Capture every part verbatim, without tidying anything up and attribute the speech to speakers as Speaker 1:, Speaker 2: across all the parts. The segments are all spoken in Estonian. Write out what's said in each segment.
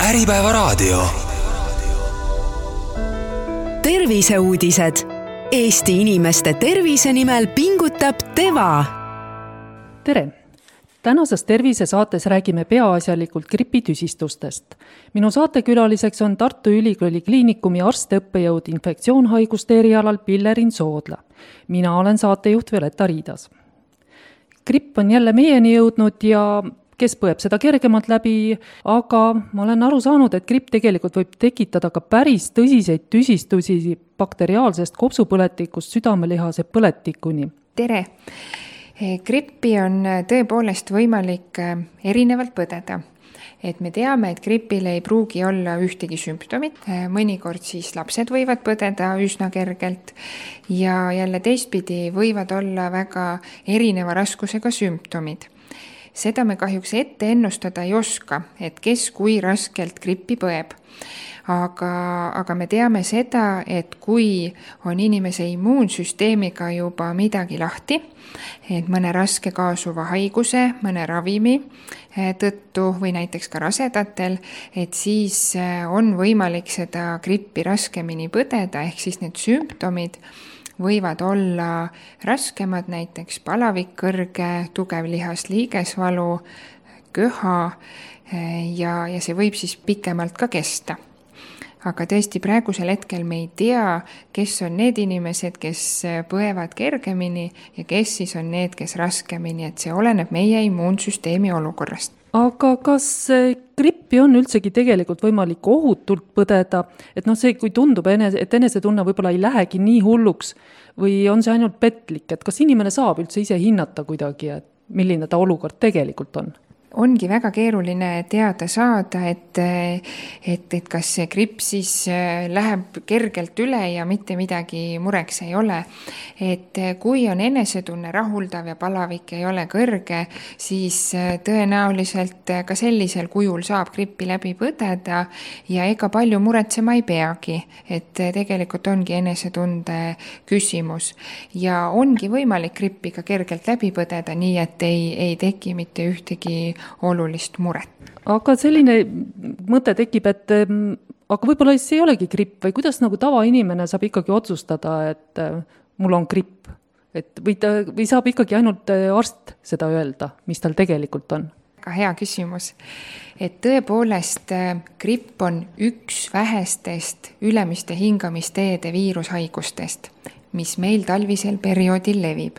Speaker 1: Äripäevaraadio. Terviseuudised. Eesti inimeste tervise nimel pingutab Teva.
Speaker 2: Tere! Tänases tervisesaates räägime peaasjalikult gripitüsistustest. Minu saatekülaliseks on Tartu Ülikooli kliinikumi arst-õppejõud infektsioonhaiguste erialal Pillerin Soodla. Mina olen saatejuht Violeta Riidas. Gripp on jälle meieni jõudnud ja kes põeb seda kergemalt läbi, aga ma olen aru saanud, et gripp tegelikult võib tekitada ka päris tõsiseid tüsistusi bakteriaalsest kopsupõletikust südamelihase põletikuni.
Speaker 3: Tere! Grippi on tõepoolest võimalik erinevalt põdeda. Et me teame, et gripil ei pruugi olla ühtegi sümptomit. Mõnikord siis lapsed võivad põdeda üsna kergelt ja jälle teistpidi võivad olla väga erineva raskusega sümptomid. Seda me kahjuks ette ennustada ei oska, et kes kui raskelt grippi põeb. Aga, aga me teame seda, et kui on inimese immuunsüsteemiga juba midagi lahti, et mõne raske kaasuva haiguse, mõne ravimi tõttu või näiteks ka rasedatel, et siis on võimalik seda grippi raskemini põdeda, ehk siis need sümptomid võivad olla raskemad, näiteks palavik kõrge, tugev lihas liigesvalu, köha ja, ja see võib siis pikemalt ka kesta. Aga tõesti praegusel hetkel me ei tea, kes on need inimesed, kes põevad kergemini ja kes siis on need, kes raskemini, et see oleneb meie immuunsüsteemi olukorrast.
Speaker 2: Aga kas grippi on üldsegi tegelikult võimalik ohutult põdeda, et noh, see, kui tundub, et enesetunne võib-olla ei lähegi nii hulluks või on see ainult petlik, et kas inimene saab üldse ise hinnata kuidagi, et milline ta olukord tegelikult on?
Speaker 3: Ongi väga keeruline teada saada, et, et, et kas see gripp siis läheb kergelt üle ja mitte midagi mureks ei ole. Et kui on enesetunne rahuldav ja palavik ei ole kõrge, siis tõenäoliselt ka sellisel kujul saab grippi läbi põdeda ja ega palju muretsema ei peagi, et tegelikult ongi enesetunde küsimus. Ja ongi võimalik grippi ka kergelt läbi põdeda, nii et ei, ei teki mitte ühtegi olulist muret.
Speaker 2: Aga selline mõte tekib, et aga võib-olla see ei olegi gripp või kuidas nagu tavainimene saab ikkagi otsustada, et mul on gripp, et või, ta, või saab ikkagi ainult arst seda öelda, mis tal tegelikult on?
Speaker 3: Ka hea küsimus, et tõepoolest gripp on üks vähestest ülemiste hingamisteede viirushaigustest, mis meil talvisel perioodil levib.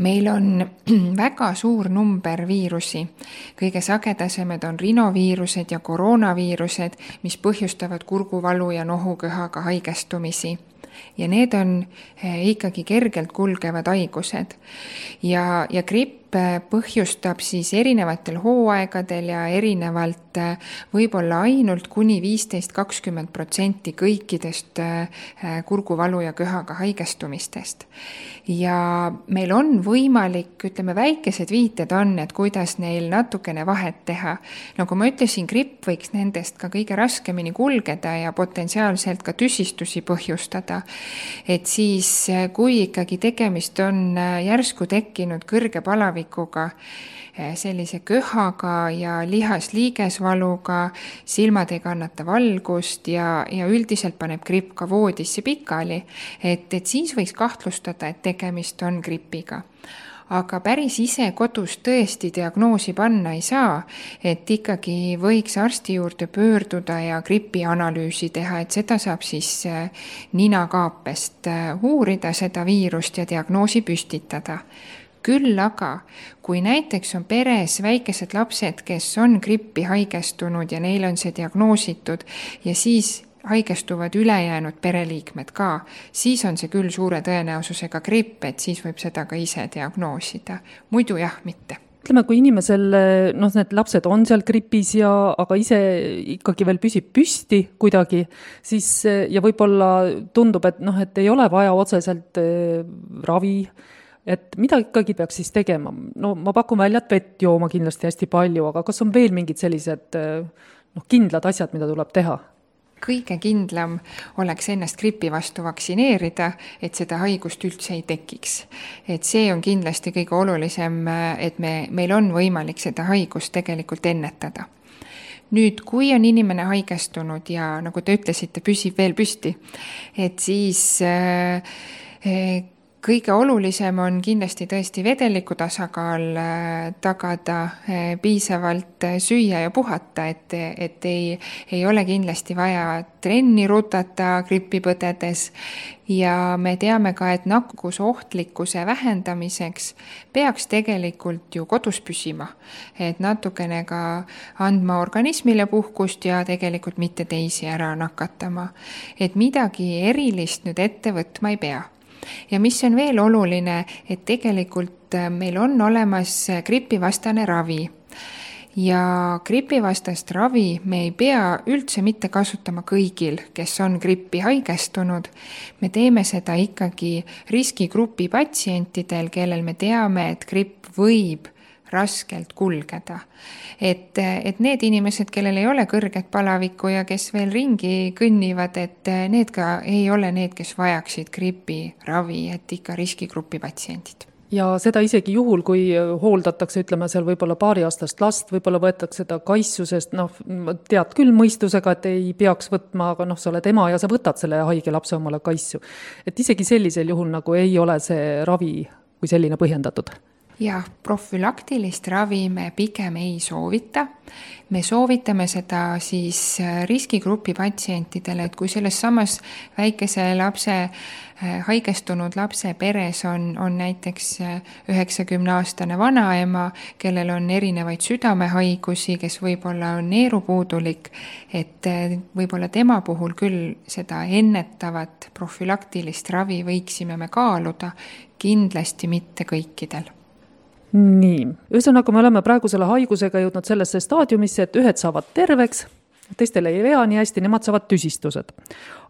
Speaker 3: Meil on väga suur number viirusi. Kõige sagedasemad on rinoviirused ja koroonaviirused, mis põhjustavad kurguvalu ja nohuköhaga haigestumisi. Ja need on ikkagi kergelt kulgevad haigused. Ja, ja gripp põhjustab siis erinevatel hooaegadel ja erinevalt võib-olla ainult kuni viisteist kuni kakskümmend protsenti kõikidest kurguvalu ja köhaga haigestumistest. Ja meil on võimalik, ütleme, väikesed viited on, et kuidas neil natukene vahet teha. Nagu ma ütlesin, gripp võiks nendest ka kõige raskemini kulgeda ja potentsiaalselt ka tüsistusi põhjustada. Et siis, kui ikkagi tegemist on järsku tekkinud kõrge palavikuga, sellise köhaga ja lihas-liigesvaluga, silmad ei kannata valgust ja, ja üldiselt paneb gripp ka voodisse pikali, et, et siis võiks kahtlustada, et tegemist on gripiga. Aga päris ise kodus tõesti diagnoosi panna ei saa, et ikkagi võiks arsti juurde pöörduda ja gripi analüüsi teha, et seda saab siis ninakaapest uurida seda viirust ja diagnoosi püstitada. Küll aga, kui näiteks on peres väikesed lapsed, kes on grippi haigestunud ja neil on see diagnoositud ja siis haigestuvad ülejäänud pereliikmed ka, siis on see küll suure tõenäosusega gripp, et siis võib seda ka ise diagnoosida. Muidu jah, mitte.
Speaker 2: Ütleme, kui inimesel, noh, need lapsed on seal gripis ja aga ise ikkagi veel püsib püsti kuidagi, siis ja võib-olla tundub, et, noh, et ei ole vaja otseselt ravi, et mida ikkagi peaks siis tegema? No ma pakun välja, et vett jooma kindlasti hästi palju, aga kas on veel mingid sellised noh, kindlad asjad, mida tuleb teha?
Speaker 3: kõige kindlam oleks ennast gripi vastu vaktsineerida, et seda haigust üldse ei tekiks. Et see on kindlasti kõige olulisem, et me, meil on võimalik seda haigust tegelikult ennetada. Nüüd, kui on inimene haigestunud ja nagu te ütlesite, püsib veel püsti, et siis äh, kõige olulisem on kindlasti tõesti vedeliku tasakaal, tagada piisavalt süüa ja puhata, et, et ei, ei ole kindlasti vaja trenni rutata gripi põdedes ja me teame ka, et nakkusohtlikkuse vähendamiseks peaks tegelikult ju kodus püsima, et natukene ka andma organismile puhkust ja tegelikult mitte teisi ära nakatama, et midagi erilist nüüd ette võtma ei pea. Ja mis on veel oluline, et tegelikult meil on olemas gripivastane ravi ja gripivastast ravi me ei pea üldse mitte kasutama kõigil, kes on grippi haigestunud. Me teeme seda ikkagi riskigrupi patsientidel, kellel me teame, et gripp võib raskelt kulgeda. Et, et need inimesed, kellel ei ole kõrget palavikku ja kes veel ringi kõnnivad, et need ka ei ole need, kes vajaksid gripi ravi, et ikka riskigrupi patsientid.
Speaker 2: Ja seda isegi juhul, kui hooldatakse, ütleme seal võib-olla paariaastast last, võib-olla võetakse seda kaissusest, noh, tead küll mõistusega, et ei peaks võtma, aga noh, sa oled ema ja sa võtad selle haige lapse omale kaissu. Et isegi sellisel juhul nagu ei ole see ravi kui selline põhjendatud.
Speaker 3: Ja profülaktilist ravi me pigem ei soovita. Me soovitame seda siis riskigrupi patsientidele, et kui selles samas väikese lapse, haigestunud lapse peres on, on näiteks üheksakümne-aastane vanaema, kellel on erinevaid südamehaigusi, kes võib-olla on neerupuudulik, et võib-olla tema puhul küll seda ennetavat profülaktilist ravi võiksime me kaaluda, kindlasti mitte kõikidel.
Speaker 2: Nii, ühesõnaga me oleme praegu selle haigusega jõudnud sellesse staadiumisse, et ühed saavad terveks, teistele ei vea nii hästi, nemad saavad tüsistused.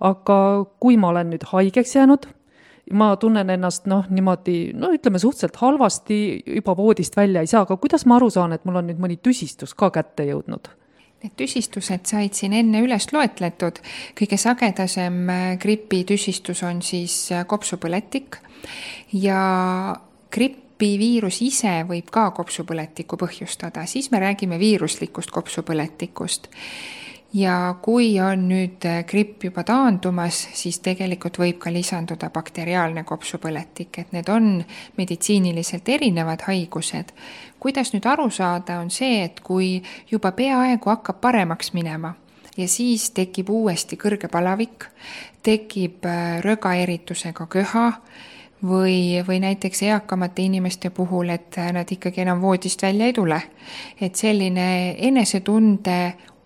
Speaker 2: Aga kui ma olen nüüd haigeks jäänud, ma tunnen ennast noh, niimoodi, no ütleme suhteliselt halvasti, juba voodist välja ei saa, aga kuidas ma aru saan, et mul on nüüd mõni tüsistus ka kätte jõudnud?
Speaker 3: Need tüsistused said siin enne üles loetletud. Kõige sagedasem gripi tüsistus on siis kopsupõletik ja gripp viirus ise võib ka kopsupõletikku põhjustada, siis me räägime viiruslikust kopsupõletikust. Ja kui on nüüd gripp juba taandumas, siis tegelikult võib ka lisanduda bakteriaalne kopsupõletik, et need on meditsiiniliselt erinevad haigused. Kuidas nüüd aru saada on see, et kui juba peaaegu hakkab paremaks minema ja siis tekib uuesti kõrge palavik, tekib rögaeritusega köha, Või, või näiteks eakamate inimeste puhul, et nad ikkagi enam voodist välja ei tule. Et selline enesetunde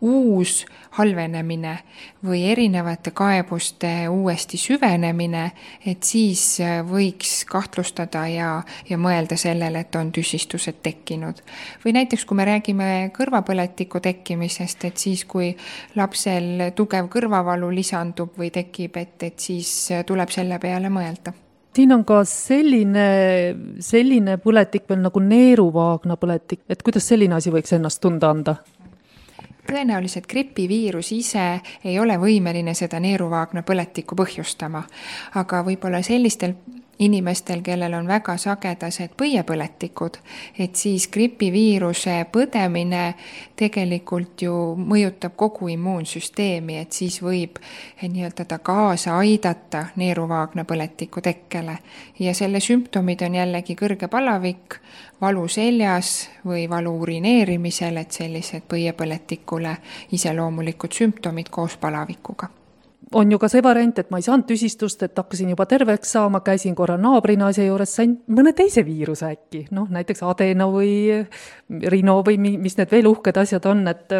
Speaker 3: uus halvenemine või erinevate kaebuste uuesti süvenemine, et siis võiks kahtlustada ja, ja mõelda sellele, et on tüsistused tekkinud. Või näiteks, kui me räägime kõrvapõletiku tekkimisest, et siis, kui lapsel tugev kõrvavalu lisandub või tekib, et, et siis tuleb selle peale mõelda.
Speaker 2: Siin on ka selline, selline põletik veel nagu neeruvaagna põletik, et kuidas selline asi võiks ennast tunda anda?
Speaker 3: Tõenäoliselt gripiviirus ise ei ole võimeline seda neeruvaagna põletikku põhjustama, aga võib-olla sellistel inimestel, kellel on väga sagedased põiepõletikud, et siis gripiviiruse põdemine tegelikult ju mõjutab kogu immuunsüsteemi, et siis võib nii-öelda ta kaasa aidata neeruvaagna põletiku tekkele. Ja selle sümptomid on jällegi kõrge palavik, valu seljas või valu urineerimisel, et sellised põiepõletikule iseloomulikud sümptomid koos palavikuga.
Speaker 2: On ju ka see variant, et ma ei saanud tüsistust, et hakkasin juba terveks saama, käisin korra naabrina asja juures, sain mõne teise viiruse äkki, noh näiteks adeno või rino või mis need veel uhked asjad on, et,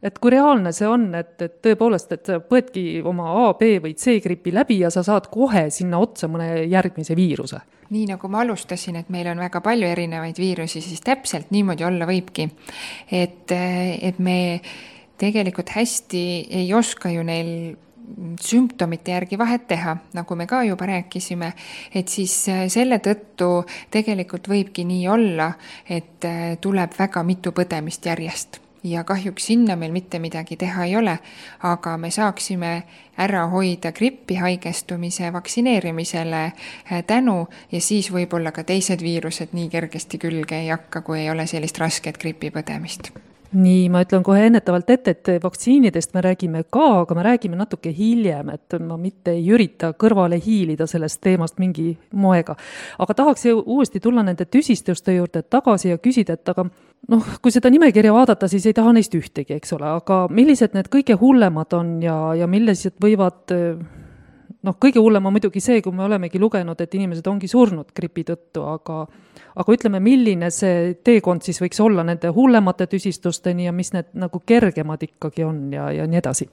Speaker 2: et kui reaalne see on, et, et tõepoolest, et sa põedki oma A, B või C gripi läbi ja sa saad kohe sinna otsa mõne järgmise viiruse.
Speaker 3: Nii nagu ma alustasin, et meil on väga palju erinevaid viirusi, siis täpselt niimoodi olla võibki, et, et me tegelikult hästi ei oska ju neil sümptomite järgi vahet teha, nagu me ka juba rääkisime, et siis selle tõttu tegelikult võibki nii olla, et tuleb väga mitu põdemist järjest. ja kahjuks sinna meil mitte midagi teha ei ole, aga me saaksime ära hoida grippi haigestumise vaktsineerimisele tänu ja siis võib-olla ka teised viirused nii kergesti külge ei hakka, kui ei ole sellist rasket gripipõdemist.
Speaker 2: Nii, ma ütlen kohe ennetavalt ette, et vaktsiinidest me räägime ka, aga me räägime natuke hiljem, et ma mitte ei ürita kõrvale hiilida sellest teemast mingi moega. Aga tahaks uuesti tulla nende tüsistuste juurde tagasi ja küsida, et aga noh, kui seda nimekirja vaadata, siis ei taha neist ühtegi, eks ole, aga millised need kõige hullemad on ja, ja millised võivad, noh, kõige hullem on muidugi see, kui me olemegi lugenud, et inimesed ongi surnud gripi tõttu, aga aga ütleme, milline see teekond siis võiks olla nende hullemate tüsistusteni ja mis need nagu kergemad ikkagi on ja, ja nii edasi?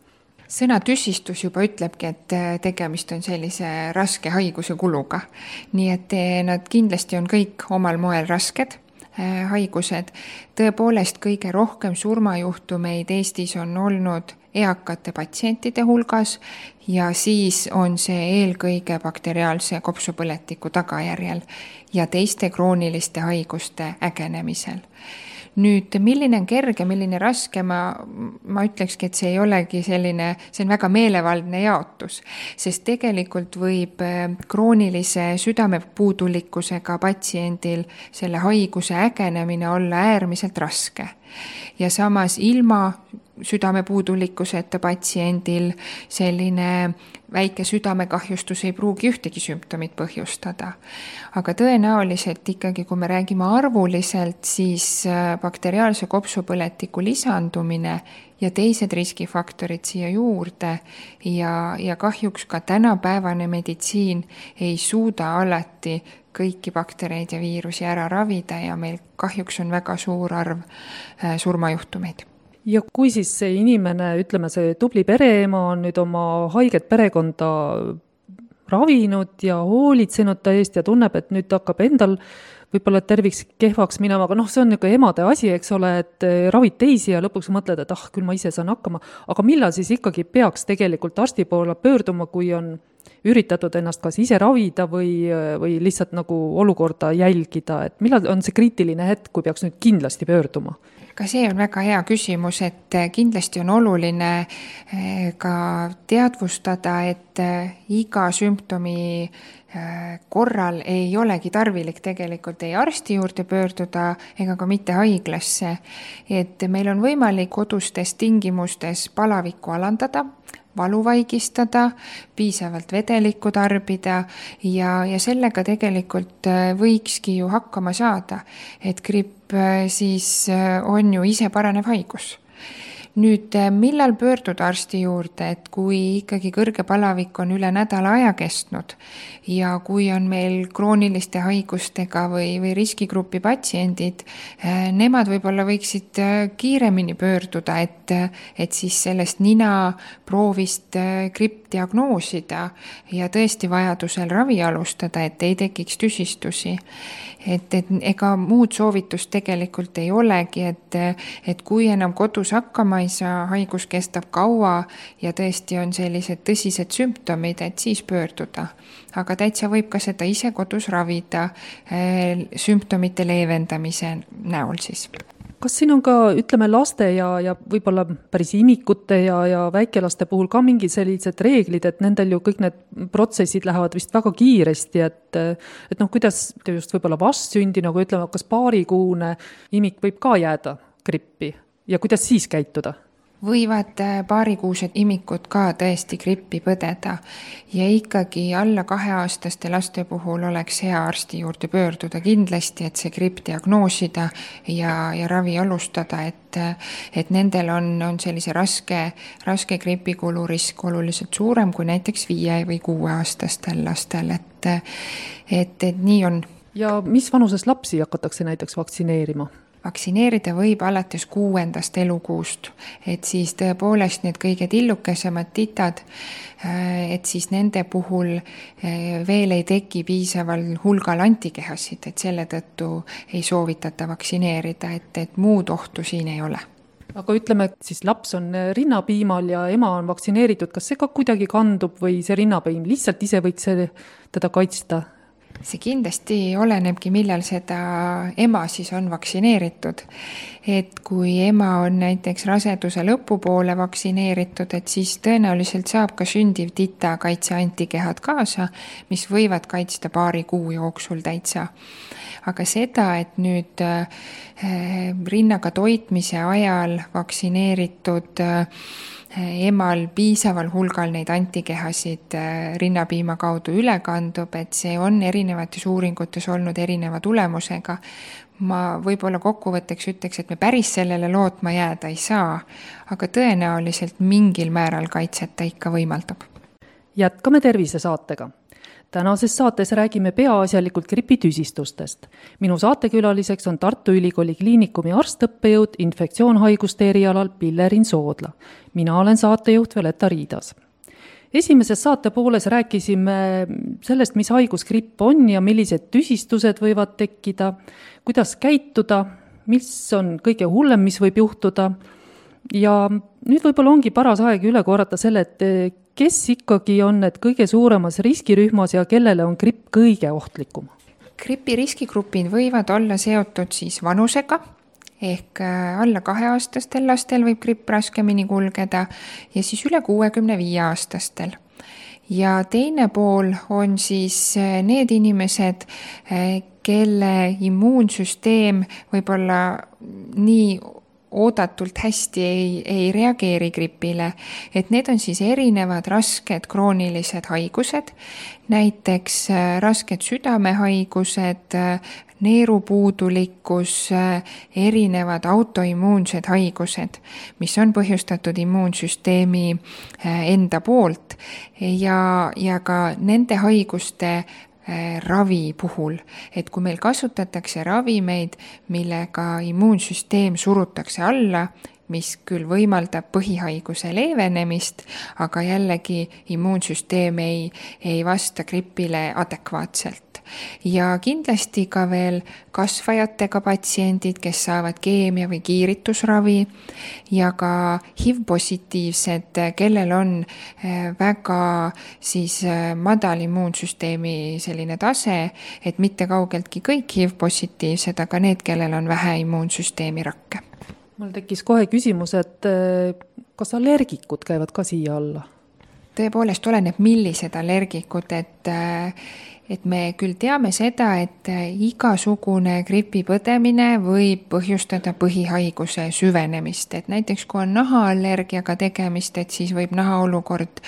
Speaker 3: Sõna tüsistus juba ütlebki, et tegemist on sellise raske haiguse kuluga. Nii et nad kindlasti on kõik omal moel rasked haigused. Tõepoolest kõige rohkem surmajuhtumeid Eestis on olnud eakate patsientide hulgas ja siis on see eelkõige bakteriaalse kopsupõletiku tagajärjel ja teiste krooniliste haiguste ägenemisel. Nüüd, milline on kerge, milline raske, ma, ma ütlekski, et see ei olegi selline, see on väga meelevaldne jaotus, sest tegelikult võib kroonilise südamepuudulikkusega patsiendil selle haiguse ägenemine olla äärmiselt raske. Ja samas ilma südamepuudulikkuseta patsiendil selline väike südamekahjustus ei pruugi ühtegi sümptomit põhjustada. Aga tõenäoliselt ikkagi, kui me räägime arvuliselt, siis bakteriaalse kopsupõletiku lisandumine ja teised riskifaktorid siia juurde ja, ja kahjuks ka tänapäevane meditsiin ei suuda alati kõiki baktereid ja viirusi ära ravida ja meil kahjuks on väga suur arv surmajuhtumeid.
Speaker 2: Ja kui siis see inimene, ütleme see tubli pereema on nüüd oma haiget perekonda ravinud ja hoolitsenud ta eest ja tunneb, et nüüd hakkab endal võib-olla terviks kehvaks minema, aga noh, see on niisugune emade asi, eks ole, et ravid teisi ja lõpuks mõtled, et ah, küll ma ise saan hakkama, aga millal siis ikkagi peaks tegelikult arsti poole pöörduma, kui on üritatud ennast kas ise ravida või, või lihtsalt nagu olukorda jälgida, et millal on see kriitiline hetk, kui peaks nüüd kindlasti pöörduma?
Speaker 3: Ka see on väga hea küsimus, et kindlasti on oluline ka teadvustada, et iga sümptomi korral ei olegi tarvilik tegelikult ei arsti juurde pöörduda ega ka mitte haiglasse. Et meil on võimalik kodustes tingimustes palavikku alandada, valu vaigistada, piisavalt vedelikku tarbida ja, ja sellega tegelikult võikski ju hakkama saada, et gripp siis on ju ise paranev haigus. Nüüd, millal pöörduda arsti juurde, et kui ikkagi kõrge palavik on üle nädala aja kestnud ja kui on meil krooniliste haigustega või, või riskigrupi patsiendid, nemad võib-olla võiksid kiiremini pöörduda, et, et siis sellest nina proovist gripp diagnoosida ja tõesti vajadusel ravi alustada, et ei tekiks tüsistusi. Et, et ega muud soovitust tegelikult ei olegi, et, et kui enam kodus hakkama ei saa, haigus kestab kaua ja tõesti on sellised tõsised sümptomid, et siis pöörduda. Aga täitsa võib ka seda ise kodus ravida äh, sümptomite leevendamise näol siis.
Speaker 2: Kas siin on ka, ütleme, laste ja, ja võib-olla päris imikute ja, ja väikelaste puhul ka mingi sellised reeglid, et nendel ju kõik need protsessid lähevad vist väga kiiresti, et, et noh, kuidas just võib-olla vastsündi, nagu ütleme, kas paarikuune imik võib ka jääda grippi ja kuidas siis käituda?
Speaker 3: Võivad paarikuused imikud ka tõesti grippi põdeda ja ikkagi alla kaheaastaste laste puhul oleks hea arsti juurde pöörduda kindlasti, et see gripp diagnoosida ja, ja ravi alustada, et, et nendel on, on sellise raske, raske gripikulu risk oluliselt suurem kui näiteks viie või kuueaastastel lastel, et, et, et nii on.
Speaker 2: Ja mis vanuses lapsi hakatakse näiteks vaktsineerima?
Speaker 3: Vaktsineerida võib alates kuuendast elukuust, et siis tõepoolest need kõige tillukesemad titad, et siis nende puhul veel ei teki piisaval hulgal antikehasid, et selle tõttu ei soovitata vaktsineerida, et, et muud ohtu siin ei ole.
Speaker 2: Aga ütleme, siis laps on rinnapiimal ja ema on vaktsineeritud, kas see ka kuidagi kandub või see rinnapiim lihtsalt ise võiks teda kaitsta?
Speaker 3: see kindlasti olenebki, millal seda ema siis on vaktsineeritud. Et kui ema on näiteks raseduse lõpupoole vaktsineeritud, et siis tõenäoliselt saab ka sündiv tita kaitseantikehad kaasa, mis võivad kaitsta paari kuu jooksul täitsa. Aga seda, et nüüd rinnaga toitmise ajal vaktsineeritud emal piisaval hulgal neid antikehasid rinnapiima kaudu üle kandub, et see on erinevates uuringutes olnud erineva tulemusega. Ma võib-olla kokkuvõtteks ütleks, et me päris sellele lootma jääda ei saa, aga tõenäoliselt mingil määral kaitset ta ikka võimaldab.
Speaker 2: Jätkame tervisesaatega. Tänases saates räägime peaasjalikult gripitüsistustest. Minu saatekülaliseks on Tartu Ülikooli Kliinikumi arstõppejõud infektsioonhaiguste erialal Pillerin Soodla. Mina olen saatejuht Violeta Riidas. Esimeses saate pooles rääkisime sellest, mis haigus gripp on ja millised tüsistused võivad tekkida, kuidas käituda, mis on kõige hullem, mis võib juhtuda. Ja nüüd võib-olla ongi paras aeg üle korrata selle, et kes ikkagi on need kõige suuremas riskirühmas ja kellele on gripp kõige ohtlikum?
Speaker 3: Gripi riskigrupid võivad olla seotud siis vanusega, ehk alla kaheaastastel lastel võib gripp raskemini kulgeda ja siis üle kuuekümne viie aastastel. Ja teine pool on siis need inimesed, kelle immuunsüsteem võib-olla nii oodatult hästi ei, ei reageeri gripile, et need on siis erinevad rasked kroonilised haigused, näiteks rasked südamehaigused, neerupuudulikkus, erinevad autoimmuunsed haigused, mis on põhjustatud immuunsüsteemi enda poolt ja, ja ka nende haiguste ravi puhul, et kui meil kasutatakse ravimeid, millega immuunsüsteem surutakse alla, mis küll võimaldab põhihaiguse leevenemist, aga jällegi immuunsüsteem ei, ei vasta gripile adekvaatselt. Ja kindlasti ka veel kasvajatega patsiendid, kes saavad keemia- või kiiritusravi ja ka H I V-positiivsed, kellel on väga siis madal immuunsüsteemi selline tase, et mitte kaugeltki kõik H I V-positiivsed, aga need, kellel on vähe immuunsüsteemi rakke.
Speaker 2: Mul tekkis kohe küsimus, et kas allergikud käivad ka siia alla?
Speaker 3: Tõepoolest oleneb, millised allergikud, et et me küll teame seda, et igasugune gripi põdemine võib põhjustada põhihaiguse süvenemist, et näiteks kui on nahaallergiaga tegemist, et siis võib nahaolukord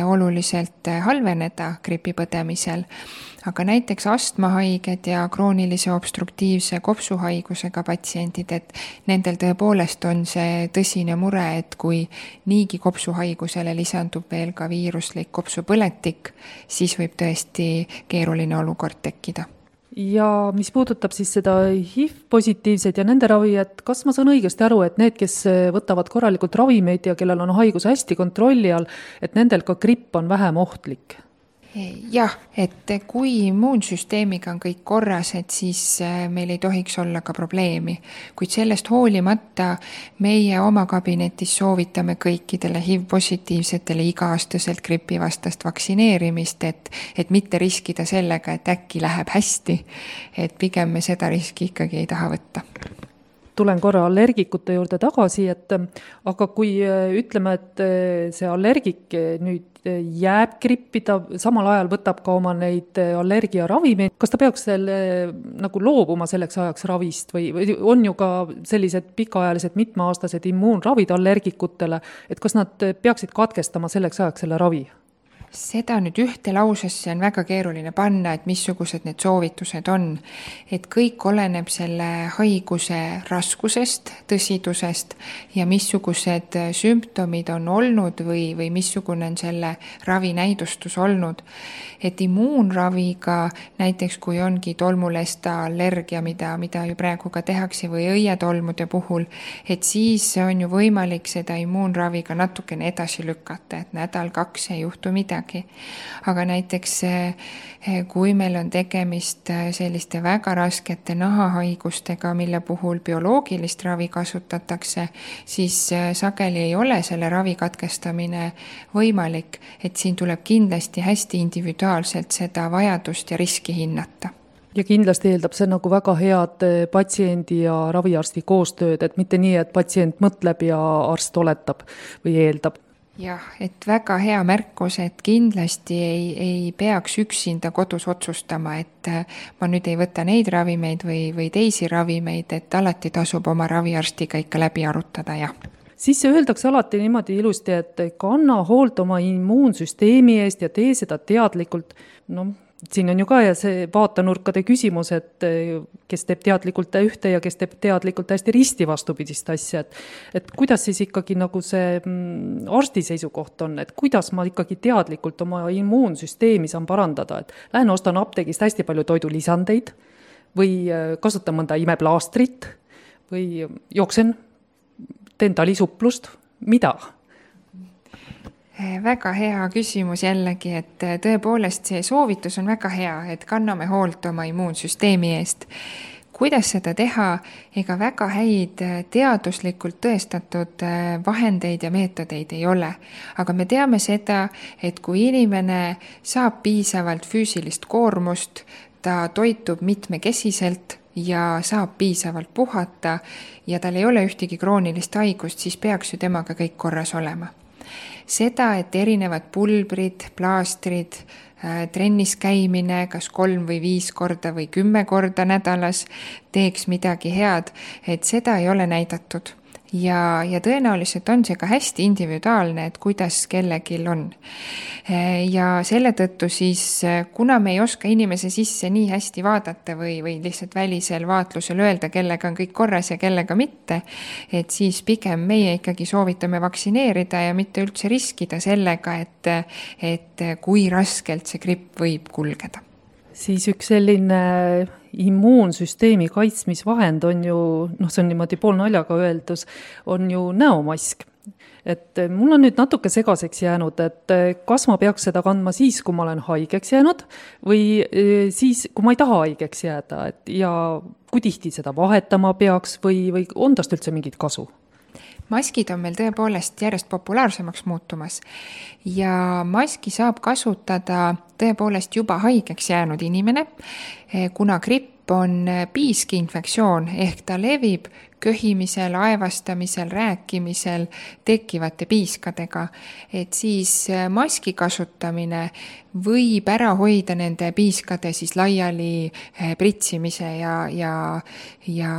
Speaker 3: oluliselt halveneda gripi põdemisel. Aga näiteks astmahaiged ja kroonilise obstruktiivse kopsuhaigusega patsiendid, et nendel tõepoolest on see tõsine mure, et kui niigi kopsuhaigusele lisandub veel ka viiruslik kopsupõletik, siis võib tõesti keeruline olukord tekkida.
Speaker 2: Ja mis puudutab siis seda H I V-positiivsed ja nende ravi, et kas ma saan õigesti aru, et need, kes võtavad korralikult ravimeid ja kellel on haigus hästi kontrolli all, et nendel ka gripp on vähem ohtlik?
Speaker 3: Jah, et kui immuunsüsteemiga on kõik korras, et siis meil ei tohiks olla ka probleemi. Kuid sellest hoolimata meie oma kabinetis soovitame kõikidele H I V-positiivsetele iga-aastaselt gripivastast vaktsineerimist, et, et mitte riskida sellega, et äkki läheb hästi, et pigem me seda riski ikkagi ei taha võtta.
Speaker 2: Tulen korra allergikute juurde tagasi, et aga kui ütleme, et see allergik nüüd jääb grippi, ta samal ajal võtab ka oma neid allergiaravimeid, kas ta peaks selle nagu loobuma selleks ajaks ravist või, või on ju ka sellised pikaajalised mitmeaastased immuunravid allergikutele, et kas nad peaksid katkestama selleks ajaks selle ravi?
Speaker 3: Seda nüüd ühte lausesse on väga keeruline panna, et missugused need soovitused on. Et kõik oleneb selle haiguse raskusest, tõsidusest ja missugused sümptomid on olnud või, või missugune on selle ravi näidustus olnud. Et immuunraviga, näiteks kui ongi tolmulesta allergia, mida, mida ju praegu ka tehakse või õietolmude puhul, et siis on ju võimalik seda immuunraviga natukene edasi lükata, et nädal kaks ei juhtu midagi. midagi. Aga näiteks kui meil on tegemist selliste väga raskete nahahaigustega, mille puhul bioloogilist ravi kasutatakse, siis sageli ei ole selle ravi katkestamine võimalik, et siin tuleb kindlasti hästi individuaalselt seda vajadust ja riski hinnata.
Speaker 2: Ja kindlasti eeldab see nagu väga head patsiendi ja raviarsti koostööd, et mitte nii, et patsient mõtleb ja arst oletab või eeldab.
Speaker 3: Jah, et väga hea märkus, et kindlasti ei, ei peaks üksinda kodus otsustama, et ma nüüd ei võta neid ravimeid või, või teisi ravimeid, et alati tasub oma raviarstiga ikka läbi arutada, jah.
Speaker 2: Siis öeldakse alati niimoodi ilusti, et kanna hoolt oma immuunsüsteemi eest ja tee seda teadlikult. No, siin on ju ka ja see vaatanurkade küsimus, et kes teeb teadlikult ühte ja kes teeb teadlikult hästi risti vastupidist asja. Et, et kuidas siis ikkagi nagu see arsti seisukoht on, et kuidas ma ikkagi teadlikult oma immuunsüsteemi saan parandada. Et lähen ostan apteegist hästi palju toidulisandeid või kasutan mõnda imeplaastrit või jooksen, teen talisuplust, mida?
Speaker 3: Väga hea küsimus jällegi, et tõepoolest see soovitus on väga hea, et kanname hoolt oma immuunsüsteemi eest. Kuidas seda teha? Ega väga häid teaduslikult tõestatud vahendeid ja meetodeid ei ole. Aga me teame seda, et kui inimene saab piisavalt füüsilist koormust, ta toitub mitmekesiselt ja saab piisavalt puhata ja tal ei ole ühtegi kroonilist haigust, siis peaks ju temaga kõik korras olema. Seda, et erinevad pulbrid, plaastrid, trennis käimine, kas kolm või viis korda või kümme korda nädalas teeks midagi head, et seda ei ole näidatud. Ja, ja tõenäoliselt on see ka hästi individuaalne, et kuidas kellegil on. Ja selle tõttu siis, kuna me ei oska inimese sisse nii hästi vaadata või, või lihtsalt välisel vaatlusel öelda, kellega on kõik korras ja kellega mitte, et siis pigem meie ikkagi soovitame vaktsineerida ja mitte üldse riskida sellega, et, et kui raskelt see gripp võib kulgeda.
Speaker 2: Siis üks selline immuunsüsteemi kaitsmisvahend on ju, noh see on niimoodi pool naljaga öeldus, on ju näomask. Et mul on nüüd natuke segaseks jäänud, et kas ma peaks seda kandma siis, kui ma olen haigeks jäänud või siis, kui ma ei taha haigeks jääda, et ja kui tihti seda vahetama peaks või, või on tast üldse mingit kasu?
Speaker 3: Maskid on meil tõepoolest järjest populaarsemaks muutumas ja maski saab kasutada tõepoolest juba haigeks jäänud inimene, kuna gripp on piiski infektsioon ehk ta levib köhimisel, aevastamisel, rääkimisel tekkivate piiskadega, et siis maski kasutamine võib ära hoida nende piiskade siis laiali pritsimise ja, ja, ja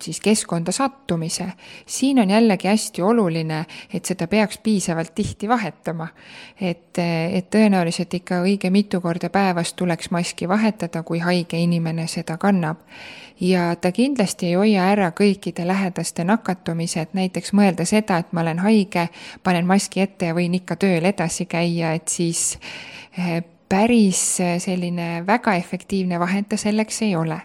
Speaker 3: siis keskkonda sattumise. Siin on jällegi hästi oluline, et seda peaks piisavalt tihti vahetama, et, et tõenäoliselt ikka õige mitu korda päevas tuleks maski vahetada, kui haige inimene seda kannab. Ja ta kindlasti ei hoia ära kõikide lähedaste nakatumised, näiteks mõelda seda, et ma olen haige, panen maski ette ja võin ikka tööl edasi käia, et siis päris selline väga efektiivne vahend selleks ei ole.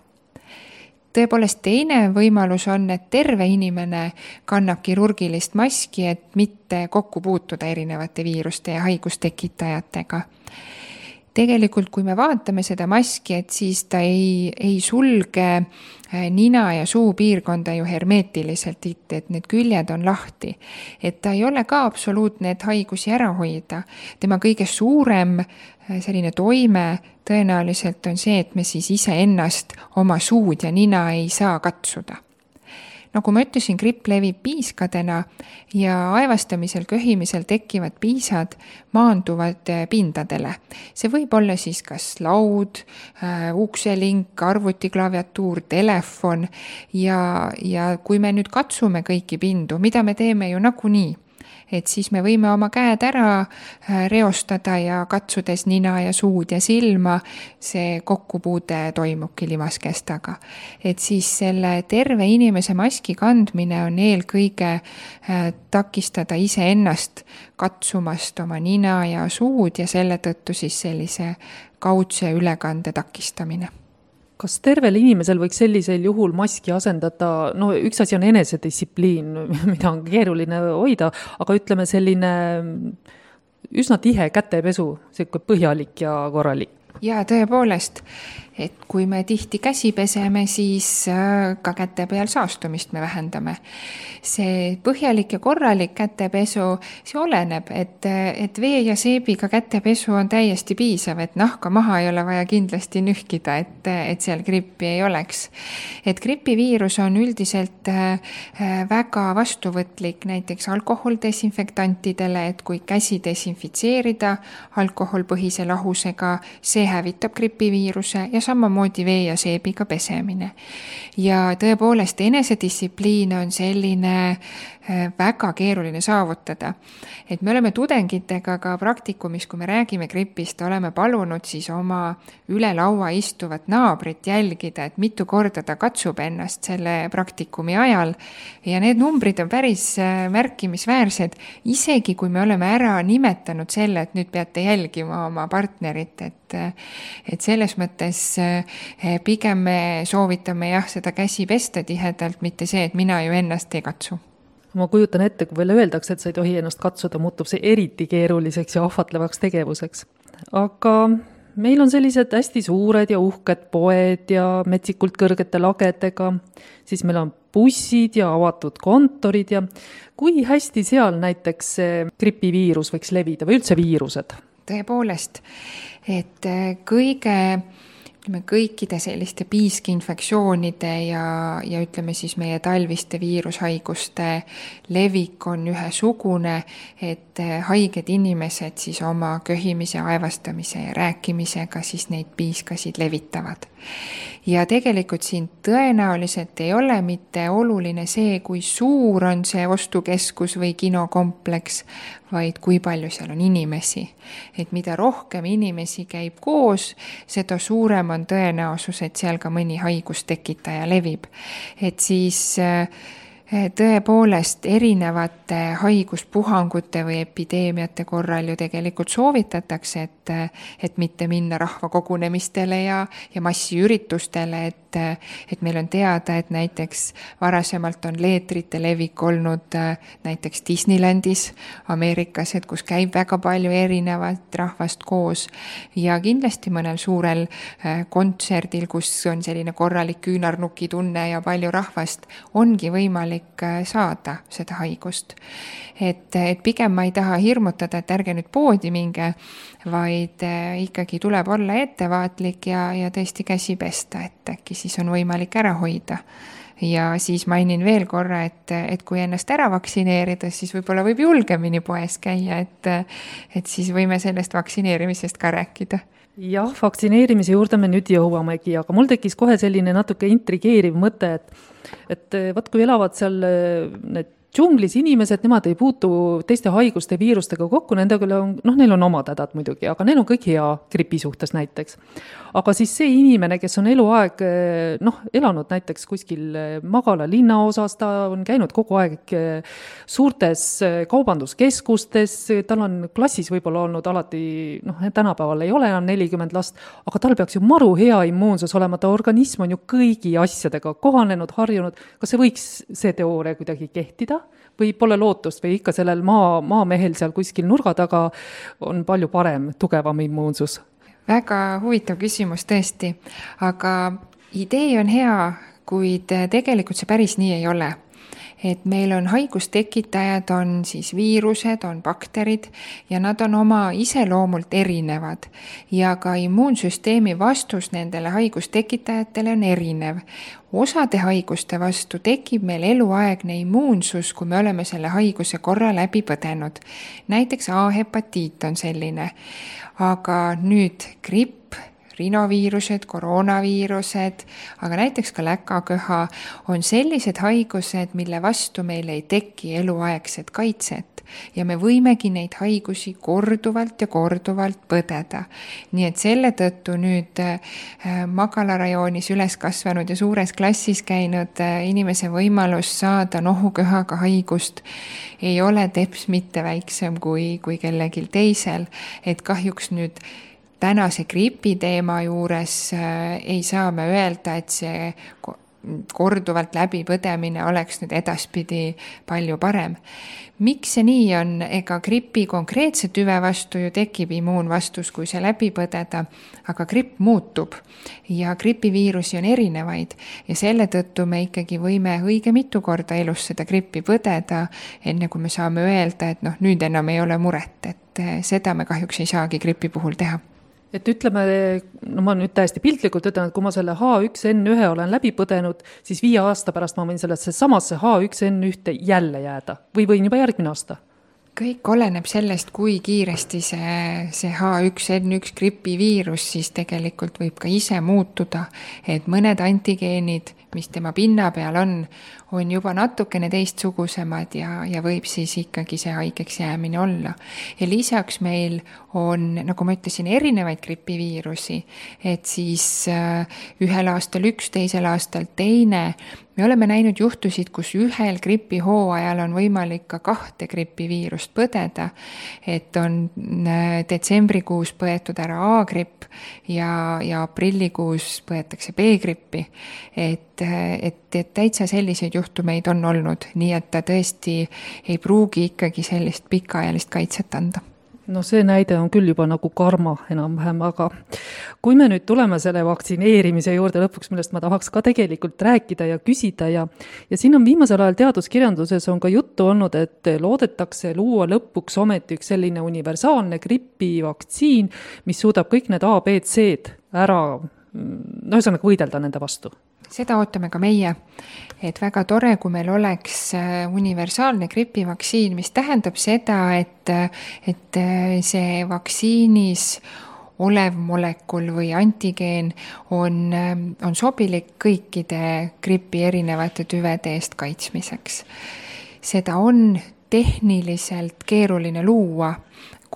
Speaker 3: Tõepoolest teine võimalus on, et terve inimene kannab kirurgilist maski, et mitte kokku puutuda erinevate viiruste ja haigustekitajatega. Tegelikult, kui me vaatame seda maski, et siis ta ei, ei sulge nina ja suu piirkonda ju hermeetiliselt, et need küljed on lahti. Et ta ei ole ka absoluutne, et haigusi ära hoida. Tema kõige suurem selline toime tõenäoliselt on see, et me siis ise ennast oma suud ja nina ei saa katsuda. Nagu ma ütlesin, gripp levib piiskadena ja aevastamisel, köhimisel tekkivad piisad maanduvad pindadele. See võib olla siis kas laud, ukselink, arvutiklaviatuur, telefon ja, ja kui me nüüd katsume kõiki pindu, mida me teeme ju nagunii, et siis me võime oma käed ära reostada ja katsudes nina ja suud ja silma, see kokkupuude toimubki limaskestaga. Et siis selle terve inimese maski kandmine on eelkõige takistada ise ennast katsumast oma nina ja suud ja selle tõttu siis sellise kaudse ülekande takistamine.
Speaker 2: Kas tervel inimesel võiks sellisel juhul maski asendada, no üks asi on enesedistsipliin, mida on keeruline hoida, aga ütleme selline üsna tihe kätepesu, selline põhjalik ja korralik.
Speaker 3: Ja tõepoolest, et kui me tihti käsi peseme, siis ka käte peal saastumist me vähendame. See põhjalik ja korralik kätepesu, see oleneb, et, et vee ja seebiga kätepesu on täiesti piisav, et nahka maha ei ole vaja kindlasti nühkida, et, et seal grippi ei oleks. Et gripiviirus on üldiselt väga vastuvõtlik näiteks alkoholdesinfektantidele, et kui käsi desinfitseerida alkoholpõhise lahusega, see hävitab gripiviiruse ja samamoodi vee ja seebiga pesemine. Ja tõepoolest enesedistsipliin on selline väga keeruline saavutada. Et me oleme tudengitega ka praktikumis, kui me räägime gripist, oleme palunud siis oma üle laua istuvat naabrit jälgida, et mitu korda ta katsub ennast selle praktikumi ajal. Ja need numbrid on päris märkimisväärsed, isegi kui me oleme ära nimetanud selle, et nüüd peate jälgima oma partnerit, et, et selles mõttes pigem me soovitame jah, seda käsi pesta tihedalt, mitte see, et mina ju ennast ei katsu.
Speaker 2: Ma kujutan ette, kui veel öeldakse, et sa ei tohi ennast katsuda, muutub see eriti keeruliseks ja ahvatlevaks tegevuseks. Aga meil on sellised hästi suured ja uhked poed ja metsikult kõrgete lagedega, siis meil on bussid ja avatud kontorid ja kui hästi seal näiteks gripiviirus võiks levida või üldse viirused?
Speaker 3: Tõepoolest, et kõige ütleme, kõikide selliste piiski-infektsioonide ja, ja ütleme siis meie talviste viirushaiguste levik on ühesugune, et haiged inimesed siis oma köhimise, aevastamise ja rääkimisega siis neid piiskasid levitavad. Ja tegelikult siin tõenäoliselt ei ole mitte oluline see, kui suur on see ostukeskus või kinokompleks, vaid kui palju seal on inimesi. Et mida rohkem inimesi käib koos, seda suurem on tõenäosus, et seal ka mõni haigustekitaja levib. Et siis tõepoolest erinevate haiguspuhangute või epideemiate korral ju tegelikult soovitatakse, et, et mitte minna rahvakogunemistele ja, ja massiüritustele, et, et meil on teada, et näiteks varasemalt on leetrite levik olnud näiteks Disneylandis Ameerikas, et kus käib väga palju erinevat rahvast koos ja kindlasti mõnel suurel kontserdil, kus on selline korralik küünarnuki tunne ja palju rahvast, ongi võimalik saada seda haigust. Et, et pigem ma ei taha hirmutada, et ärge nüüd poodi minge, vaid ikkagi tuleb olla ettevaatlik ja, ja tõesti käsi pesta, et äkki siis on võimalik ära hoida. Ja siis mainin veel korra, et, et kui ennast ära vaktsineerida, siis võib-olla võib julgemini poes käia, et, et siis võime sellest vaktsineerimisest ka rääkida.
Speaker 2: Jah, vaktsineerimise juurde me nüüd jõuamegi, aga mul tekkis kohe selline natuke intrigeeriv mõte, et, et võt, kui elavad seal need džunglis inimesed, nemad ei puutu teiste haiguste viirustega kokku, nendega on, noh, neil on omad hädad muidugi, aga neil on kõik hea gripi suhtes näiteks. Aga siis see inimene, kes on eluaeg, noh, elanud näiteks kuskil Magala linnaosas, ta on käinud kogu aeg suurtes kaubanduskeskustes, tal on klassis võib-olla olnud alati, noh, tänapäeval ei ole enam nelikümmend last, aga tal peaks ju maru hea immuunsus olema, ta organism on ju kõigi asjadega kohanenud, harjunud, kas see võiks see teooria kuidagi kehtida? Või pole lootust või ikka sellel maa, maamehel seal kuskil nurga taga on palju parem, tugevam immuunsus?
Speaker 3: Väga huvitav küsimus tõesti, aga idee on hea, kuid tegelikult see päris nii ei ole. Et meil on haigustekitajad, on siis viirused, on bakterid ja nad on oma iseloomult erinevad ja ka immuunsüsteemi vastus nendele haigustekitajatele on erinev. Osade haiguste vastu tekib meil eluaegne immuunsus, kui me oleme selle haiguse korra läbi põdenud. Näiteks A-hepatiit on selline, aga nüüd gripp, rinoviirused, koroonaviirused, aga näiteks ka läkaköha on sellised haigused, mille vastu meil ei teki eluaegset kaitset ja me võimegi neid haigusi korduvalt ja korduvalt põdeda. Nii et selle tõttu nüüd Magala rajoonis üles kasvanud ja suures klassis käinud inimese võimalus saada nohuköhaga haigust ei ole teps mitte väiksem kui, kui kellegil teisel, et kahjuks nüüd tänase gripi teema juures ei saa me öelda, et see korduvalt läbipõdemine oleks nüüd edaspidi palju parem. Miks see nii on? Ega gripi konkreetse tüve vastu ju tekib immuunvastus, kui see läbi põdeda, aga gripp muutub ja gripiviirusi on erinevaid ja selle tõttu me ikkagi võime õige mitu korda elus seda grippi põdeda, enne kui me saame öelda, et noh, nüüd enam ei ole muret, et seda me kahjuks ei saagi gripi puhul teha.
Speaker 2: Et ütleme, no ma nüüd täiesti piltlikult ütlen, et kui ma selle H üks N üks olen läbi põdenud, siis viie aasta pärast ma võin sellesse samasse H üks N üks jälle jääda või võin juba järgmine aasta?
Speaker 3: Kõik oleneb sellest, kui kiiresti see, see H üks N üks gripiviirus siis tegelikult võib ka ise muutuda, et mõned antigeenid, mis tema pinna peal on, on juba natukene teistsugusemad ja, ja võib siis ikkagi see haigeks jäämine olla. Ja lisaks meil on, nagu ma ütlesin, erinevaid gripiviirusi, et siis ühel aastal üks, teisel aastal teine. Me oleme näinud juhtusid, kus ühel gripihooajal on võimalik ka kahte gripiviirust põdeda, et on detsembrikuus põetud ära A-gripp ja, ja aprillikuus põetakse B-grippi, et, et, et täitsa selliseid juhtumeid on olnud, nii et ta tõesti ei pruugi ikkagi sellist pikaajalist kaitset anda.
Speaker 2: No see näide on küll juba nagu karma enam-vähem, aga kui me nüüd tuleme selle vaktsineerimise juurde lõpuks, millest ma tahaks ka tegelikult rääkida ja küsida ja, ja siin on viimasel ajal teaduskirjanduses on ka juttu olnud, et loodetakse luua lõpuks ometi üks selline universaalne gripivaktsiin, mis suudab kõik need A, B, C-d ära, no ühesõnaga võidelda nende vastu.
Speaker 3: Seda ootame ka meie, et väga tore, kui meil oleks universaalne gripivaktsiin, mis tähendab seda, et, et see vaktsiinis olev molekul või antigeen on, on sobilik kõikide gripi erinevate tüvede eest kaitsmiseks. Seda on tehniliselt keeruline luua,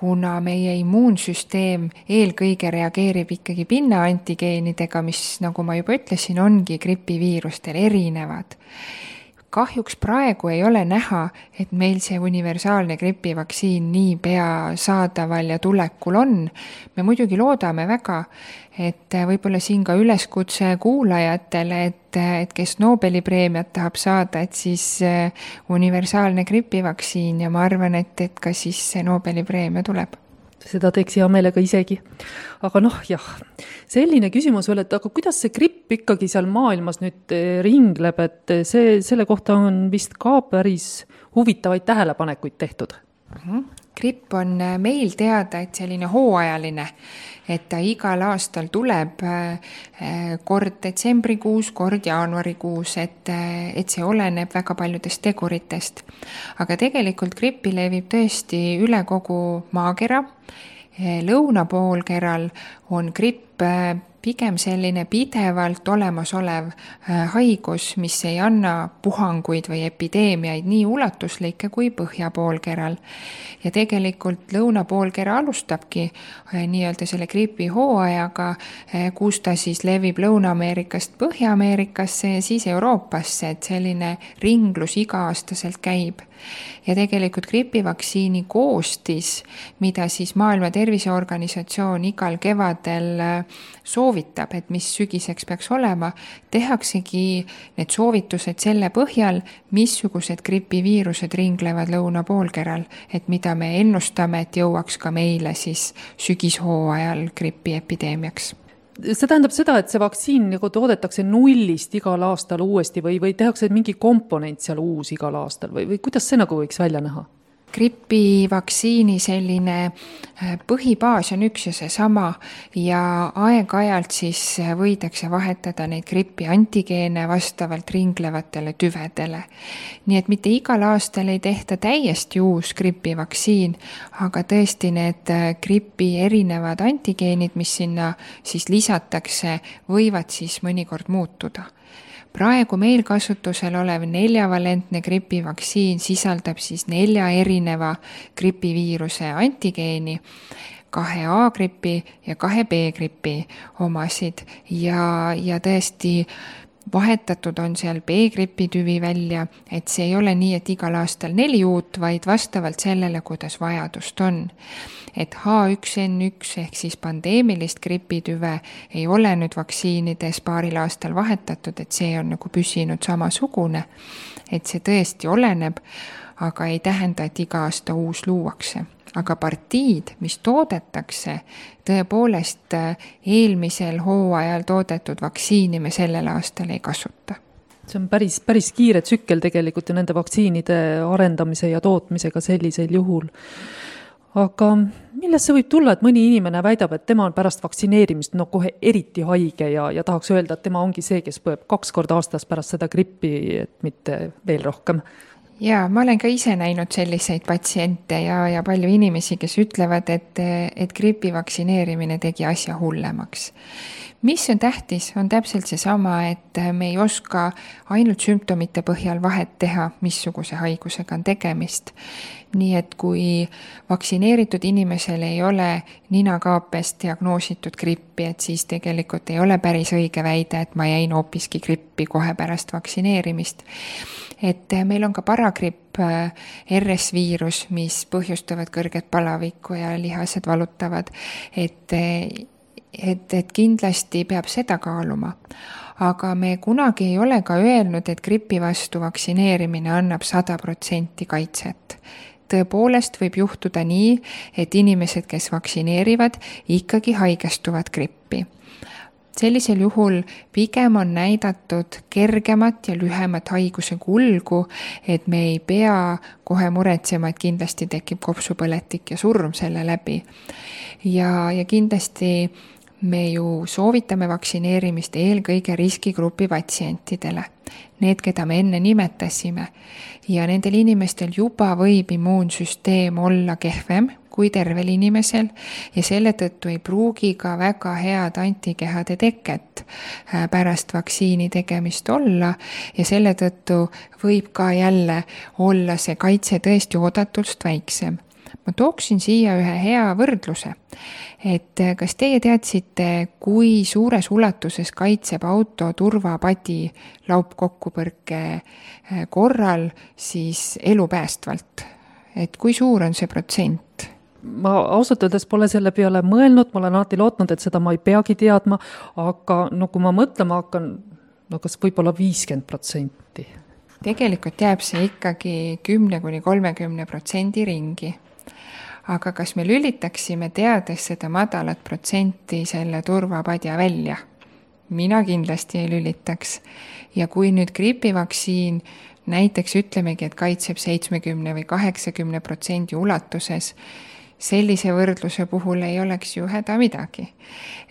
Speaker 3: kuna meie immuunsüsteem eelkõige reageerib ikkagi pinna antigeenidega, mis, nagu ma juba ütlesin, ongi gripiviirustel erinevad. Kahjuks praegu ei ole näha, et meil see universaalne gripivaktsiin nii pea saadaval ja tulekul on. Me muidugi loodame väga, et võib-olla siin ka üleskutse kuulajatele, et, et kes Nobeli preemiat tahab saada, et siis universaalne gripivaktsiin ja ma arvan, et, et ka siis see Nobeli preemia tuleb.
Speaker 2: Seda teeks hea meelega isegi. Aga noh, jah, selline küsimus veel, et aga kuidas see gripp ikkagi seal maailmas nüüd ringleb, et see, selle kohta on vist ka päris huvitavaid tähelepanekuid tehtud.
Speaker 3: Mm-hmm. Gripp on meil teada, et selline hooajaline, et ta igal aastal tuleb kord detsembrikuus, kord jaanuarikuus, et, et see oleneb väga paljudest teguritest. Aga tegelikult grippi levib tõesti üle kogu maakera. Lõunapoolkeral on gripp pigem selline pidevalt olemasolev haigus, mis ei anna puhanguid või epideemiaid nii ulatuslikke kui põhjapoolkeral. Ja tegelikult lõunapoolkera alustabki nii-öelda selle gripi hooajaga, kus ta siis levib Lõuna-Ameerikast Põhja-Ameerikasse ja siis Euroopasse, et selline ringlus iga-aastaselt käib. Ja tegelikult gripivaktsiini koostis, mida siis Maailma Terviseorganisatsioon igal kevadel soovitab, et mis sügiseks peaks olema, tehaksegi need soovitused selle põhjal, missugused gripiviirused ringlevad lõunapoolkeral, et mida me ennustame, et jõuaks ka meile siis sügishooajal gripiepideemiaks.
Speaker 2: See tähendab seda, et see vaktsiin nagu toodetakse nullist igal aastal uuesti või, või tehakse mingi komponent seal uus igal aastal või, või kuidas see nagu võiks välja näha? Gripivaktsiini
Speaker 3: selline põhibaas on üks ja seesama ja aeg-ajalt siis võidakse vahetada neid gripi antigeene vastavalt ringlevatele tüvedele. Nii et mitte igal aastal ei tehta täiesti uus gripivaktsiin, aga tõesti need gripi erinevad antigeenid, mis sinna siis lisatakse, võivad siis mõnikord muutuda. Praegu meil kasutusel olev neljavalentne gripivaktsiin sisaldab siis nelja erineva gripiviiruse antigeeni, kahe A-gripi ja kahe B-gripi omasid ja, ja tõesti vahetatud on seal B-gripitüvi välja, et see ei ole nii, et igal aastal neli uut, vaid vastavalt sellele, kuidas vajadust on. Et H üks N üks ehk siis pandeemilist gripitüve ei ole nüüd vaktsiinides paaril aastal vahetatud, et see on nagu püsinud samasugune, et see tõesti oleneb, aga ei tähenda, et iga aasta uus luuakse. Aga partiid, mis toodetakse, tõepoolest eelmisel hooajal toodetud vaktsiini me sellel aastal ei kasuta.
Speaker 2: See on päris, päris kiire tsükkel tegelikult ja nende vaktsiinide arendamise ja tootmisega sellisel juhul. Aga millest see võib tulla, et mõni inimene väidab, et tema on pärast vaktsineerimist no kohe eriti haige ja, ja tahaks öelda, et tema ongi see, kes põeb kaks korda aastas pärast seda grippi, et mitte veel rohkem?
Speaker 3: Jaa, ma olen ka ise näinud selliseid patsiente ja, ja palju inimesi, kes ütlevad, et, et gripi vaktsineerimine tegi asja hullemaks. Mis on tähtis, on täpselt see sama, et me ei oska ainult sümptomite põhjal vahet teha, missuguse haigusega on tegemist. Nii et kui vaktsineeritud inimesel ei ole ninakaapes diagnoositud grippi, et siis tegelikult ei ole päris õige väide, et ma jäin hoopiski grippi kohe pärast vaktsineerimist. Et meil on ka paragripp R S-viirus, mis põhjustavad kõrget palavikku ja lihased valutavad, et Et, et kindlasti peab seda kaaluma. Aga me kunagi ei ole ka öelnud, et gripi vastu vaktsineerimine annab sada protsenti kaitset. Tõepoolest võib juhtuda nii, et inimesed, kes vaktsineerivad, ikkagi haigestuvad grippi. Sellisel juhul pigem on näidatud kergemat ja lühemat haiguse kulgu, et me ei pea kohe muretsema, et kindlasti tekib kopsupõletik ja surm selle läbi. Ja, ja kindlasti me ju soovitame vaktsineerimist eelkõige riskigrupi patsientidele, need, keda me enne nimetasime. Ja nendel inimestel juba võib immuunsüsteem olla kehvem kui tervel inimesel ja selle tõttu ei pruugi ka väga head antikehade teket pärast vaktsiini tegemist olla ja selle tõttu võib ka jälle olla see kaitse tõesti oodatust väiksem. Ma tooksin siia ühe hea võrdluse, et kas teie teadsite, kui suures ulatuses kaitseb auto turvapadi laupkokkupõrke korral siis elupäästvalt? Et kui suur on see protsent?
Speaker 2: Ma ausalt öeldes pole selle peale mõelnud, ma olen alati lootnud, et seda ma ei peagi teadma, aga no kui ma mõtlema hakkan, no kas võib-olla viiskümmend protsenti?
Speaker 3: Tegelikult jääb see ikkagi kümne kuni kolmekümne protsendi ringi. Aga kas me lülitaksime teades seda madalat protsenti selle turvapadja välja? Mina kindlasti ei lülitaks. Ja kui nüüd gripivaktsiin näiteks ütlemegi, et kaitseb seitsmekümne või kaheksakümne protsendi ulatuses, sellise võrdluse puhul ei oleks ju häda midagi.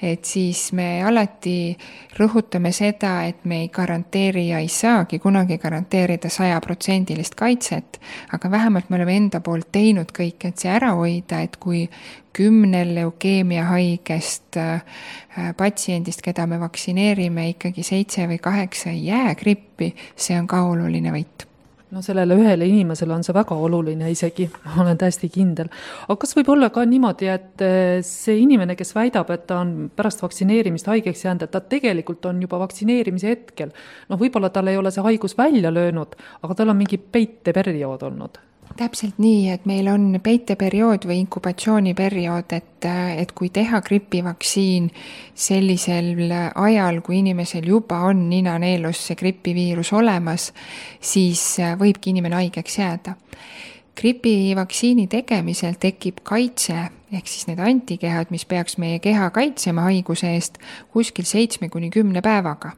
Speaker 3: Et siis me alati rõhutame seda, et me ei garanteeri ja ei saagi kunagi garanteerida sajaprotsendilist kaitset, aga vähemalt me oleme enda poolt teinud kõik, et see ära hoida, et kui kümnel leukeemia haigest patsiendist, keda me vaktsineerime, ikkagi seitse või kaheksa ei jää grippi, see on ka oluline võit.
Speaker 2: No sellele ühele inimesele on see väga oluline isegi, ma olen täiesti kindel. Aga kas võib olla ka niimoodi, et see inimene, kes väidab, et ta on pärast vaktsineerimist haigeks jäänud, et ta tegelikult on juba vaktsineerimise hetkel, no võib-olla tal ei ole see haigus välja löönud, aga tal on mingi peiteperiood olnud?
Speaker 3: Täpselt nii, et meil on peiteperiood või inkubatsiooniperiood, et, et kui teha gripivaktsiin sellisel ajal, kui inimesel juba on ninaneelus see gripiviirus olemas, siis võibki inimene haigeks jääda. Gripivaktsiini tegemisel tekib kaitse, ehk siis need antikehad, mis peaks meie keha kaitsema haiguse eest kuskil seitsme kuni kümne päevaga.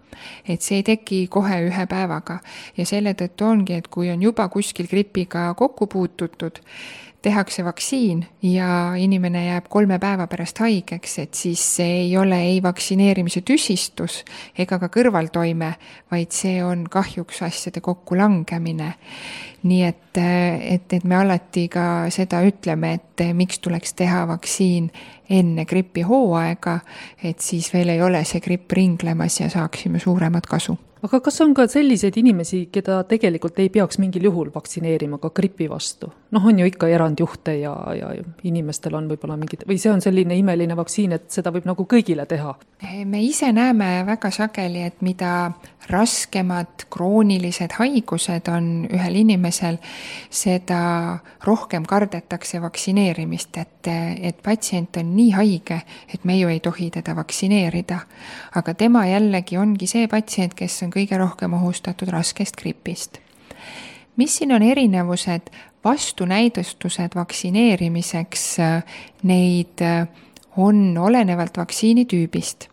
Speaker 3: Et see ei teki kohe ühe päevaga ja selle tõttu ongi, et kui on juba kuskil gripiga kokku puututud, tehakse vaktsiin ja inimene jääb kolme päeva pärast haigeks, et siis see ei ole ei vaktsineerimise tüsistus ega ka kõrvaltoime, vaid see on kahjuks asjade kokkulangemine. Nii et, et, et me alati ka seda ütleme, et miks tuleks teha vaktsiin enne gripi hooaega, et siis veel ei ole see gripp ringlemas ja saaksime suuremat kasu.
Speaker 2: aga kas on ka selliseid inimesi, keda tegelikult ei peaks mingil juhul vaktsineerima ka gripi vastu? Noh, on ju ikka erandjuhte ja, ja inimestel on võib-olla mingid, või see on selline imeline vaktsiin, et seda võib nagu kõigile teha?
Speaker 3: Me ise näeme väga sageli, et mida raskemad kroonilised haigused on ühel inimesel, seda rohkem kardetakse vaktsineerimist, et, et patsient on nii haige, et me ju ei tohi teda vaktsineerida. Aga tema jällegi ongi see patsient, kes on kõige rohkem ohustatud raskest gripist. Mis siin on erinevused? Vastunäidustused vaktsineerimiseks, neid on olenevalt vaktsiini tüübist.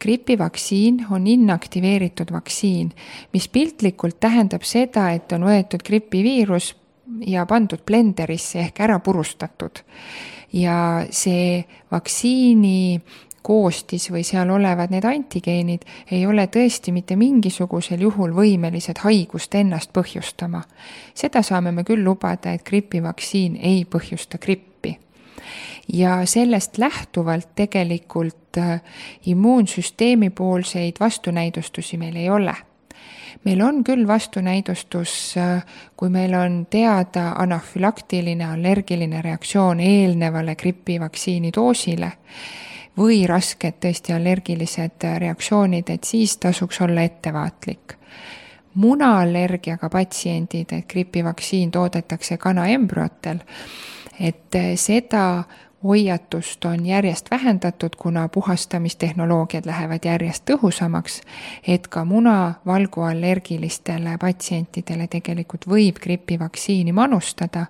Speaker 3: Gripivaktsiin on inaktiveeritud vaktsiin, mis piltlikult tähendab seda, et on võetud gripiviirus ja pandud blenderisse ehk ära purustatud. Ja see vaktsiini koostis või seal olevad need antigeenid ei ole tõesti mitte mingisugusel juhul võimelised haigust ennast põhjustama. Seda saame me küll lubada, et gripivaktsiin ei põhjusta grippi. Ja sellest lähtuvalt tegelikult immuunsüsteemi poolseid vastunäidustusi meil ei ole. Meil on küll vastunäidustus, kui meil on teada anafülaktiline allergiline reaktsioon eelnevale gripivaktsiini doosile või rasked tõesti allergilised reaktsioonid, et siis tasuks olla ettevaatlik. Munaallergiaga patsiendid, et gripivaktsiin toodetakse kanaembrüotel, et seda hoiatust on järjest vähendatud, kuna puhastamistehnoloogiad lähevad järjest tõhusamaks, et ka munavalguallergilistele patsientidele tegelikult võib gripivaktsiini manustada,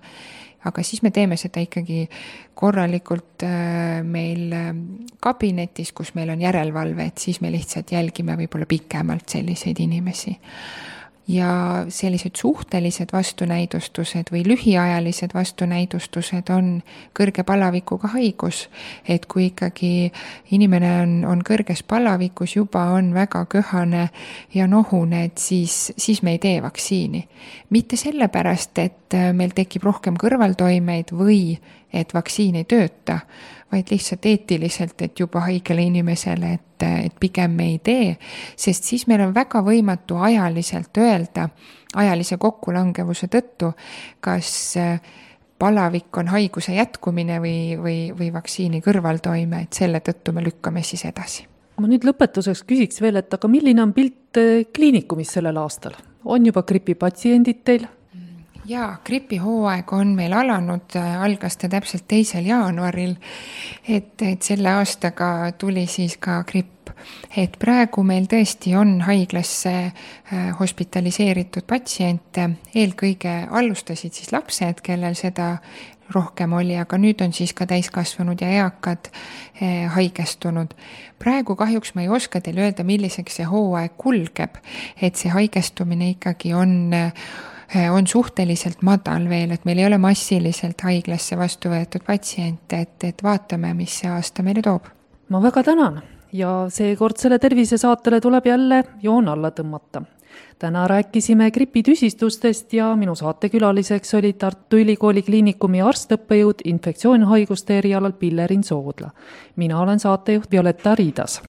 Speaker 3: aga siis me teeme seda ikkagi korralikult meil kabinetis, kus meil on järelevalve, et siis me lihtsalt jälgime võib-olla pikemalt selliseid inimesi. Ja sellised suhtelised vastunäidustused või lühiajalised vastunäidustused on kõrge palavikuga haigus, et kui ikkagi inimene on, on kõrges palavikus, juba on väga köhane ja nohune, et siis, siis me ei tee vaktsiini. Mitte sellepärast, et meil tekib rohkem kõrvaltoimeid või et vaktsiin ei tööta, vaid lihtsalt eetiliselt, et juba haigele inimesele, et, et pigem me ei tee, sest siis meil on väga võimatu ajaliselt öelda, ajalise kokkulangevuse tõttu, kas palavik on haiguse jätkumine või, või, või vaktsiini kõrvaltoime, et selle tõttu me lükkame siis edasi.
Speaker 2: Ma nüüd lõpetuseks küsiks veel, et aga milline on pilt kliinikumis sellel aastal? On juba gripipatsiendid teil?
Speaker 3: Jaa, gripihooaeg on meil alanud, algas ta täpselt teisel jaanuaril, et, et selle aastaga tuli siis ka gripp. Et praegu meil tõesti on haiglasse hospitaliseeritud patsiente, eelkõige alustasid siis lapsed, kellel seda rohkem oli, aga nüüd on siis ka täiskasvanud ja eakad haigestunud. Praegu kahjuks ma ei oska teile öelda, milliseks see hooaeg kulgeb, et see haigestumine ikkagi on on suhteliselt madal veel, et meil ei ole massiliselt haiglasse vastu võetud patsiente, et, et vaatame, mis see aasta meile toob.
Speaker 2: Ma väga tänan ja seekordsele tervisesaatele tuleb jälle joon alla tõmmata. Täna rääkisime gripitüsistustest ja minu saatekülaliseks oli Tartu Ülikooli kliinikumi arstõppejõud infektsioonhaiguste erialal Pillerin Soodla. Mina olen saatejuht Violetta Riidas.